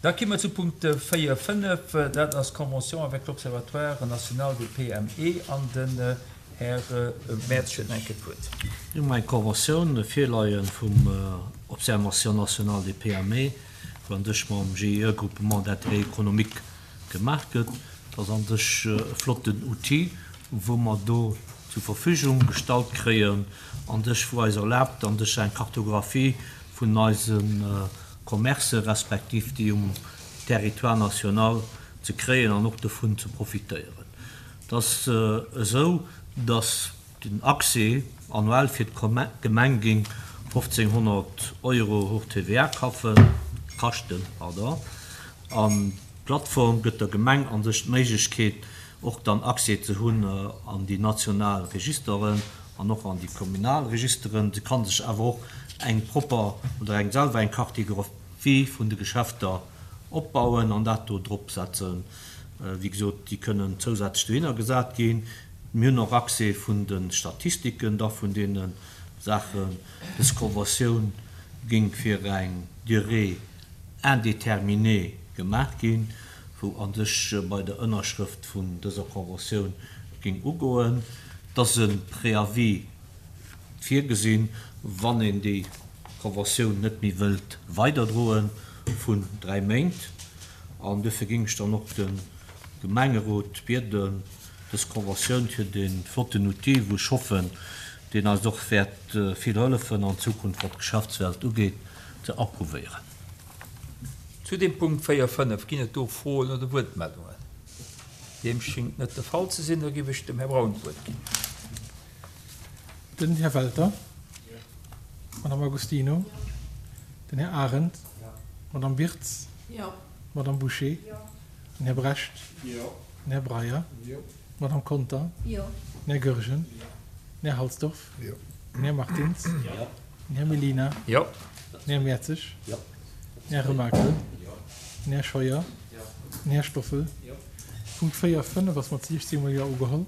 Da ki mer zu Punkt 4, 5, dat ass d'Convention avec l'Observatoire national des PME an den Här Mertz huet nach eng Kéier d'Wuert. Mir hu eng Conventioun virleie vum Observation nationale des PME, wou an sech mam GIE, Groupement d'intérêt économique, gemaach gëtt. Dat ass an sech e flotten Outil, wou mer do zur Verfügung gestallt kréien, an sech wou eis erlaabt, an sech eng Kartographie vun eise Commercë respektiv déi um Territoire national ze kréien an och dovun ze profitéieren. Et ass esou, datt den Accès annuell fir d'Gemeng géing 1.500 Euro hors TVA kaschten. An d'Plattform gëtt der Gemeng a sech d'Méiglechkeet, och dann Accès ze hunn an déi national Registeren an och an déi kommunal Registeren. Se ka sech awer och eng propper oder eng selwer eng Cartographie vun de Geschäfter opbauen an dat do drop setzen. Wéi gesot, déi kënnen zousätzlech dohinner gesat ginn. Mir hunn och Accès vun de Statistiken da vun deene Saachen. Dës Conventioun géing fir eng Durée indéterminée gemaach ginn, wou a sech bei der Ënnerschrëft vun dëser Conventioun géing ugoen, dass e Préavis virgesinn, wann een déi Conventioun net méi wëllt weiderdroen, vun 3 Méint. An duerfir géing ech dann och de Gemengerot bieden, dës Conventioun fir dee flotten Outil, wou ech hoffen, deen eis och wäert vill hëllefen an Zukunft, wat d'Geschäftswelt ugeet, ze approuvéieren. Zu dem Punkt 4, 5, ginn et do Froen oder Wuertmeldungen? Deem schéngt net de Fall ze sinn. Da géif ech dem Här Braun d'Wuert ginn. Den Här Welter. D'Madame Agostino. Den Här Arendt. D'Madame Wirtz. D'Madame Bouché. Den Här Brecht. Den Här Breyer. D'Madame Conter. Den Här Goergen. Den Här Halsdorf. Den Här Martins. Den Här Mellina. Den Här Mertzig. Den Här Remakel. Den Här Scheuer. Den Här Stoffel. Punkt 4, 5 ass mat 16 mol Jo ugeholl.